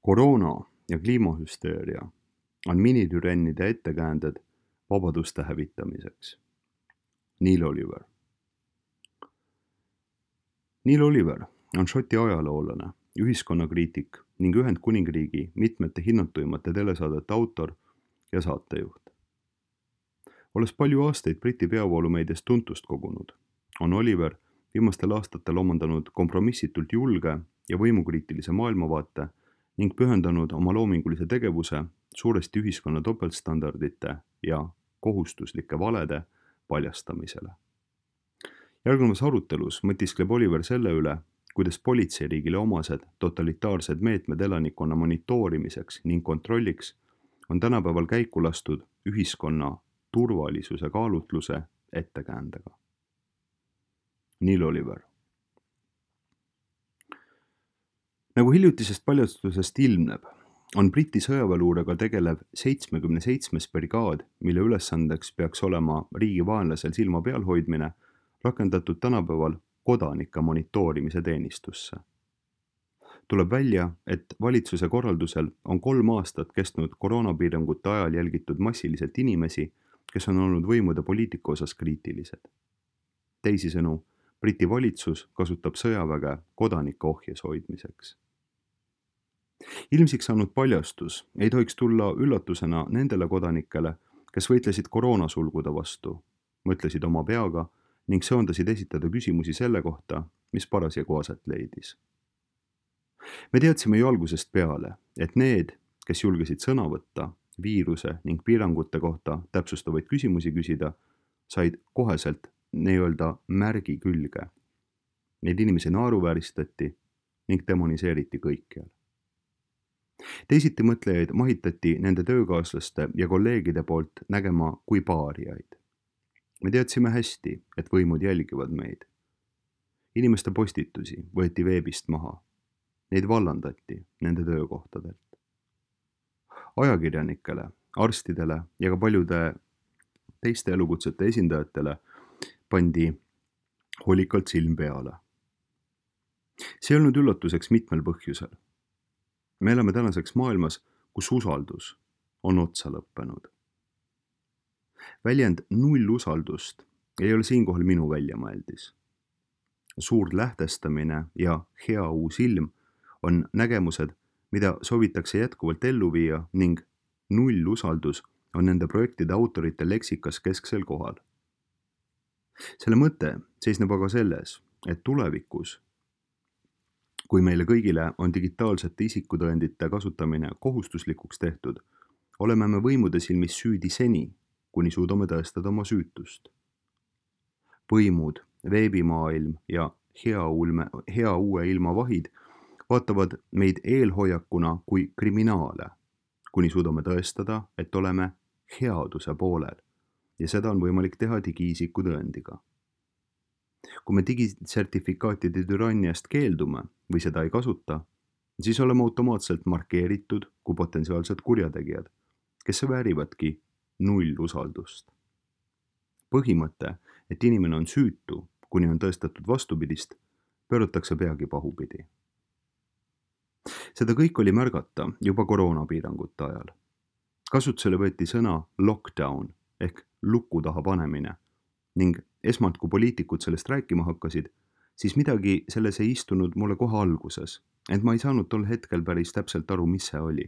Koroona ja kliimahüsteeria on minitürennide ettekäänded vabaduste hävitamiseks. Neil Oliver. Neil Oliver on Šoti ajaloolane, ühiskonnakriitik ning Ühendkuningriigi mitmete hinnatuimate telesaadete autor ja saatejuht. Olles palju aastaid Briti peavoolumeedias tuntust kogunud, on Oliver viimastel aastatel omandanud kompromissitult julge ja võimukriitilise maailmavaate ning pühendanud oma loomingulise tegevuse suuresti ühiskonna topeltstandardite ja kohustuslike valede paljastamisele. Järgnevas arutelus mõtiskleb Oliver selle üle, kuidas politseiriigile omased totalitaarsed meetmed elanikkonna monitoorimiseks ning kontrolliks on tänapäeval käiku lastud ühiskonna turvalisuse kaalutluse ettekäändega. Neil Oliver. Nagu hiljutisest paljastusest ilmneb, on Briti sõjaväeluurega tegelev 77. brigaad, mille ülesandeks peaks olema riigi vaenlasel silma peal hoidmine, rakendatud tänapäeval kodanike monitoorimise teenistusse. Tuleb välja, et valitsuse korraldusel on 3 aastat kestnud koroonapiirangute ajal jälgitud massiliselt inimesi, kes on olnud võimude poliitika osas kriitilised. Teisisõnu, Briti valitsus kasutab sõjaväge kodanike ohjes hoidmiseks. Ilmsiks saanud paljastus ei tohiks tulla üllatusena nendele kodanikele, kes võitlesid koroonasulgude vastu, mõtlesid oma peaga ning söandasid esitada küsimusi selle kohta, mis parasjagu aset leidis. Me teadsime ju algusest peale, et need, kes julgesid sõna võtta, viiruse ning piirangute kohta täpsustavaid küsimusi küsida, said koheselt nii-öelda märgi külge. Neid inimesi naeruvääristati ning demoniseeriti kõikjal. Teisiti mõtlejaid mahitati nende töökaaslaste ja kolleegide poolt nägema kui paariaid. Me teadsime hästi, et võimud jälgivad meid. Inimeste postitusi võeti veebist maha. Neid vallandati nende töökohtadelt. Ajakirjanikele, arstidele ja ka paljude teiste elukutsete esindajatele pandi hoolikalt silm peale. See ei olnud üllatuseks mitmel põhjusel. Me elame tänaseks maailmas, kus usaldus on otsa lõppenud. Väljend null usaldust ei ole siinkohal minu väljamõeldis. Suur lähtestamine ja hea uus ilm on nägemused, mida soovitakse jätkuvalt ellu viia ning null usaldus on nende projektide autorite leksikas kesksel kohal. Selle mõte seisneb aga selles, et tulevikus, kui meile kõigile on digitaalsete isikutõendite kasutamine kohustuslikuks tehtud, oleme me võimude silmis süüdi seni, kuni suudame tõestada oma süütust. Võimud, veebimaailm ja hea uue ilma vahid vaatavad meid eelhoiakuna kui kriminaale, kuni suudame tõestada, et oleme headuse poolel ja seda on võimalik teha digiisiku tõendiga. Kui me digisertifikaatide türanniast keeldume või seda ei kasuta, siis oleme automaatselt markeeritud kui potentsiaalsed kurjategijad, kes väärivadki null usaldust. Põhimõte, et inimene on süütu, kuni on tõestatud vastupidist, pööratakse peagi pahupidi. Seda kõik oli märgata juba koroonapiirangute ajal. Kasutusele võeti sõna lockdown ehk luku taha panemine ning esmalt, kui poliitikud sellest rääkima hakkasid, siis midagi selles ei istunud mulle kohe alguses, ent ma ei saanud tol hetkel päris täpselt aru, mis see oli.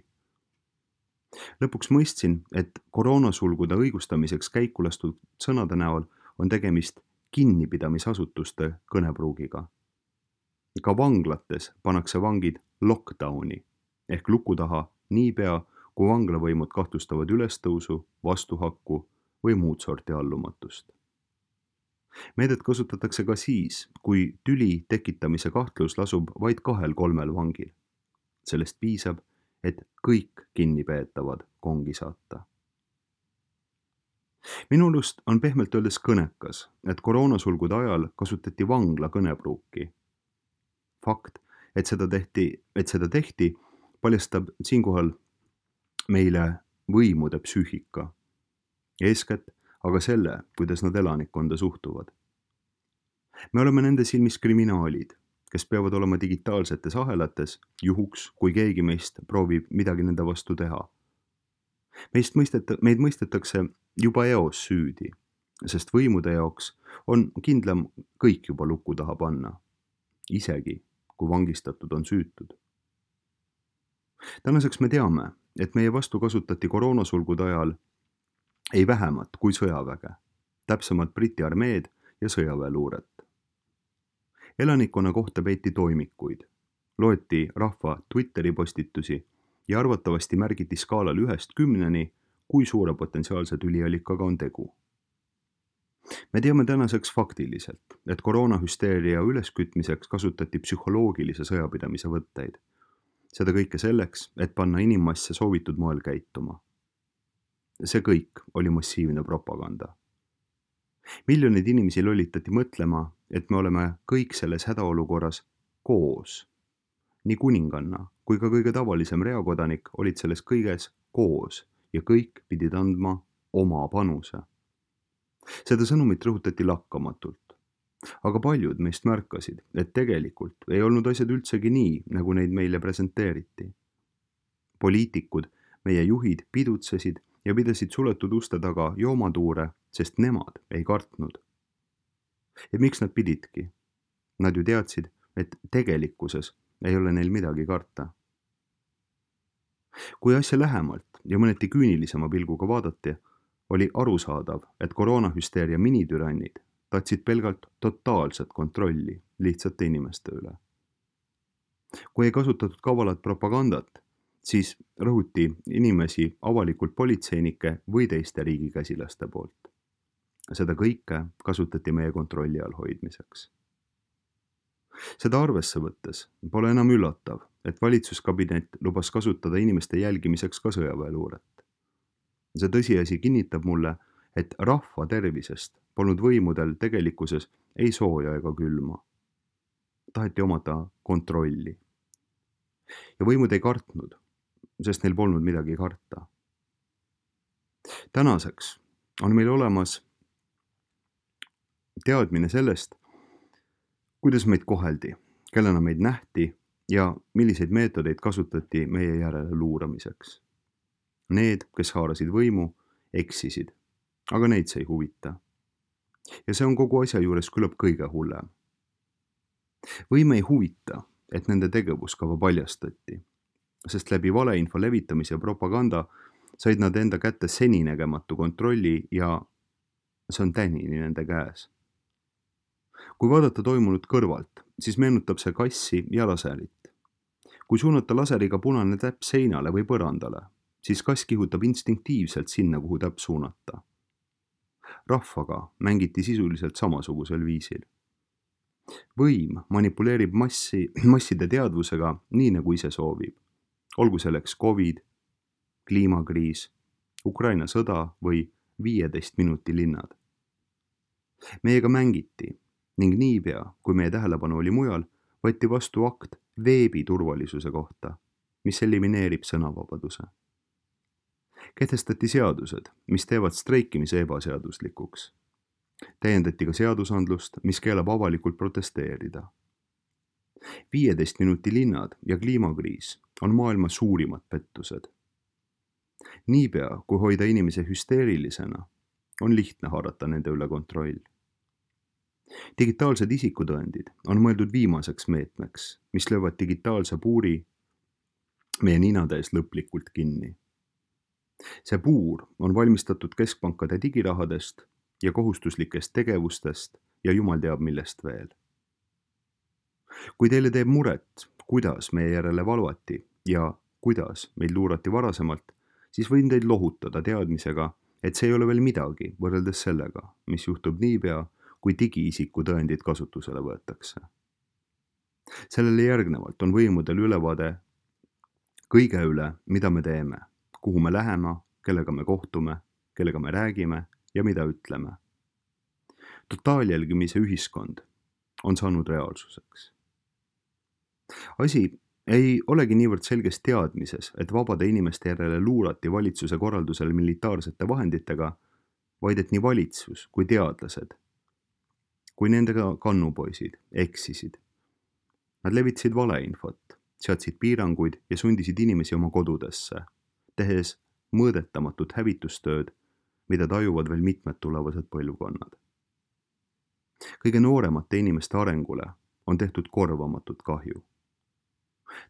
Lõpuks mõistsin, et koroonasulgude õigustamiseks käiku lastud sõnade näol on tegemist kinnipidamisasutuste kõnepruugiga. Ka vanglates pannakse vangid lockdowni ehk luku taha niipea, kui vanglavõimud kahtlustavad ülestõusu, vastuhakku või muud sorti allumatust. Meedet kasutatakse ka siis, kui tüli tekitamise kahtlus lasub vaid 2-3 vangil. Sellest piisab, et kõik kinnipeetavad kongi saata. Minu arust on pehmelt öeldes kõnekas, et koroonasulgude ajal kasutati vangla kõnepruuki. Fakt, et seda tehti, paljastab siinkohal meile võimude psüühika. Eeskätt aga selle, kuidas nad elanikkonda suhtuvad. Me oleme nende silmis kriminaalid, kes peavad olema digitaalsetes ahelates juhuks, kui keegi meist proovib midagi nende vastu teha. Meid mõistetakse juba eos süüdi, sest võimude jaoks on kindlam kõik juba luku taha panna, isegi kui vangistatud on süütud. Tänaseks me teame, et meie vastu kasutati koroonasulgude ajal ei vähemat kui sõjaväge, täpsemalt Briti armeed ja sõjaväeluuret. Elanikkonna kohta peeti toimikuid, loeti rahva Twitteri postitusi ja arvatavasti märgiti skaalal 1–10, kui suure potentsiaalse tüliallikaga on tegu. Me teame tänaseks faktiliselt, et koroonahüsteeria üleskütmiseks kasutati psühholoogilise sõjapidamise võtteid. Seda kõike selleks, et panna inimmasse soovitud moel käituma. See kõik oli massiivne propaganda. Miljonid inimesi lollitati mõtlema, et me oleme kõik selles hädaolukorras koos. Nii kuninganna kui ka kõige tavalisem reakodanik olid selles kõiges koos ja kõik pidid andma oma panuse. Seda sõnumit rõhutati lakkamatult. Aga paljud meist märkasid, et tegelikult ei olnud asjad üldsegi nii, nagu neid meile presenteeriti. Poliitikud, meie juhid pidutsesid ja pidasid suletud uste taga joomatuure, sest nemad ei kartnud. Ja miks nad pididki? Nad ju teadsid, et tegelikkuses ei ole neil midagi karta. Kui asja lähemalt ja mõneti küünilisema pilguga vaadati, oli arusaadav, et koroonahüsteeria minitürannid tahtsid pelgalt totaalset kontrolli lihtsate inimeste üle. Kui ei kasutatud kavalat propagandat, siis rõhuti inimesi avalikult politseinike või teiste riigikäsilaste poolt. Seda kõike kasutati meie kontrolli all hoidmiseks. Seda arvesse võttes pole enam üllatav, et valitsuskabinet lubas kasutada inimeste jälgimiseks ka sõjaväeluuret. See tõsiasi kinnitab mulle, et rahva tervisest polnud võimudel tegelikkuses ei sooja ega külma. Taheti omada kontrolli. Ja võimud ei kartnud, sest neil polnud midagi karta. Tänaseks on meil olemas teadmine sellest, kuidas meid koheldi, kellena meid nähti ja milliseid meetodeid kasutati meie järele luuramiseks. Need, kes haarasid võimu, eksisid, aga neid see ei huvita. Ja see on kogu asja juures küllap kõige hullem. Võime ei huvita, et nende tegevuskava paljastati, sest läbi valeinfo levitamise ja propaganda said nad enda kätte seninägematu kontrolli ja see on tänini nende käes. Kui vaadata toimunut kõrvalt, siis meenutab see kassi ja laserit. Kui suunata laseriga punane täpp seinale või põrandale, siis kass kihutab instinktiivselt sinna, kuhu täpp suunata. Rahvaga mängiti sisuliselt samasugusel viisil. Võim manipuleerib masside teadvusega nii, nagu ise soovib. Olgu selleks COVID, kliimakriis, Ukraina sõda või 15 minuti linnad. Meiega mängiti ning niipea, kui meie tähelepanu oli mujal, võeti vastu akt veebi turvalisuse kohta, mis elimineerib sõnavabaduse. Kehtestati seadused, mis teevad streikimise ebaseaduslikuks. Täiendati ka seadusandlust, mis keelab avalikult protesteerida. 15 minuti linnad ja kliimakriis on maailma suurimad pettused. Niipea, kui hoida inimese hüsteerilisena, on lihtne haarata nende üle kontroll. Digitaalsed isikutõendid on mõeldud viimaseks meetmeks, mis löövad digitaalse puuri meie ninade ees lõplikult kinni. See puur on valmistatud keskpankade digirahadest ja kohustuslikest tegevustest ja jumal teab millest veel. Kui teile teeb muret, kuidas meie järele valvati ja kuidas meid luurati varasemalt, siis võin teid lohutada teadmisega, et see ei ole veel midagi võrreldes sellega, mis juhtub niipea, kui digiisiku tõendid kasutusele võetakse. Sellele järgnevalt on võimudel ülevaade kõige üle, mida me teeme, kuhu me läheme, kellega me kohtume, kellega me räägime ja mida ütleme. Totaaljälgimise ühiskond on saanud reaalsuseks. Asi ei olegi niivõrd selges teadmises, et vabade inimeste järele luurati valitsuse korraldusel militaarsete vahenditega, vaid et nii valitsus kui teadlased, kui nendega kannupoisid eksisid Nad levitasid valeinfot, seadsid piiranguid ja sundisid inimesi oma kodudesse, tehes mõõdetamatut hävitustööd, mida tajuvad veel mitmed tulevased põlvkonnad. Kõige nooremate inimeste arengule on tehtud korvamatut kahju.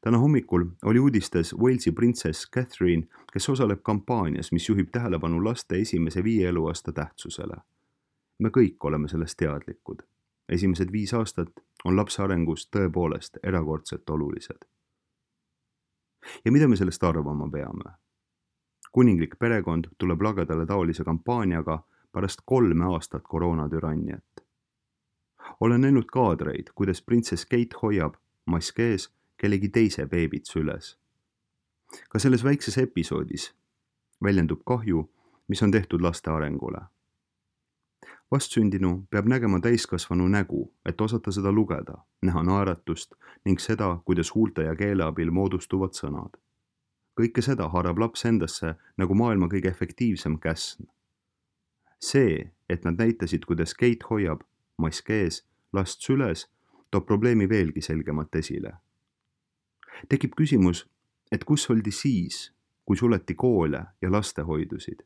Täna hommikul oli uudistes Walesi printsess Catherine, kes osaleb kampaanias, mis juhib tähelepanu laste esimese 5 eluaasta tähtsusele. Me kõik oleme sellest teadlikud. Esimesed 5 aastat on lapse arengus tõepoolest erakordselt olulised. Ja mida me sellest arvama peame? Kuninglik perekond tuleb lagedale taolise kampaaniaga pärast 3 aastat koroonatüranniat. Olen näinud kaadreid, kuidas printsess Kate hoiab, mask ees, kellegi teise beebit süles. Ka selles väikses episoodis väljendub kahju, mis on tehtud laste arengule. Vastsündinu peab nägema täiskasvanu nägu, et osata seda lugeda, näha naeratust ning seda, kuidas huulte ja keele abil moodustuvad sõnad. Kõike seda haarab laps endasse nagu maailma kõige efektiivsem käsn. See, et nad näitasid, kuidas Kate hoiab, mask ees, last süles, toob probleemi veelgi selgemalt esile. Tekib küsimus, et kus oldi siis, kui suleti koole ja lastehoidusid?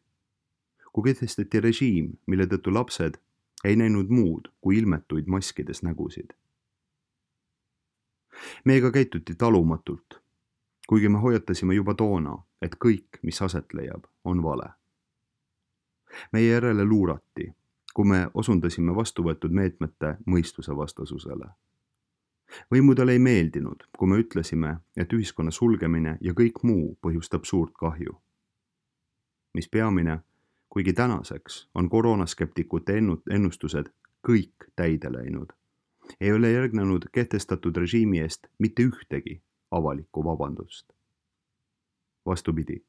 Kui kehtestati režiim, mille tõttu lapsed ei näinud muud kui ilmetuid maskides nägusid. Meiega käituti talumatult, kuigi me hoiatasime juba toona, et kõik, mis aset leiab, on vale. Meie järele luurati, kui me osundasime vastuvõetud meetmete mõistuse vastasusele. Võimudele ei meeldinud, kui me ütlesime, et ühiskonna sulgemine ja kõik muu põhjustab suurt kahju. Mis peamine, kuigi tänaseks on koroonaskeptikute ennustused kõik täide läinud, ei ole järgnenud kehtestatud režiimi eest mitte ühtegi avalikku vabandust. Vastupidi,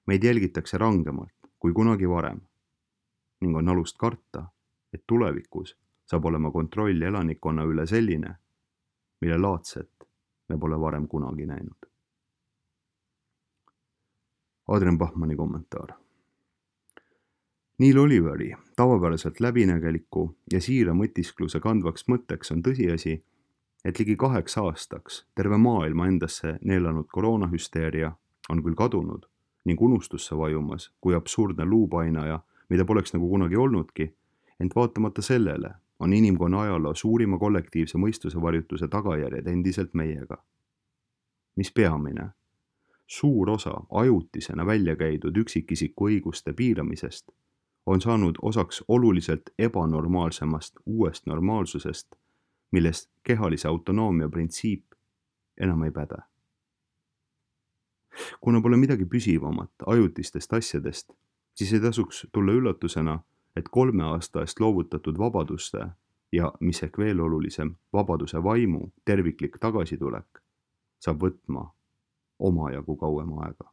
meid jälgitakse rangemalt kui kunagi varem ning on alust karta, et tulevikus saab olema kontroll elanikkonna üle selline, mille laadset me pole varem kunagi näinud. Adrian Bachmanni kommentaar. Neil Oliveri tavapäraselt läbinägeliku ja siira mõtiskluse kandvaks mõtteks on tõsiasi, et ligi 8 aastaks terve maailma endasse neelanud koroonahüsteeria on küll kadunud ning unustusse vajumas kui absurdne luupainaja, mida poleks nagu kunagi olnudki, ent vaatamata sellele on inimkonna ajaloo suurima kollektiivse mõistuse varjutuse tagajärjed endiselt meiega. Mis peamine? Suur osa ajutisena välja käidud üksikisiku õiguste piiramisest on saanud osaks oluliselt ebanormaalsemast uuest normaalsusest, millest kehalise autonoomia printsiip enam ei päde. Kuna pole midagi püsivamat ajutistest asjadest, siis ei tasuks tulla üllatusena, et 3 aasta eest loovutatud vabaduste ja, mis ehk veel olulisem, vabaduse vaimu terviklik tagasitulek saab võtma omajagu kauem aega.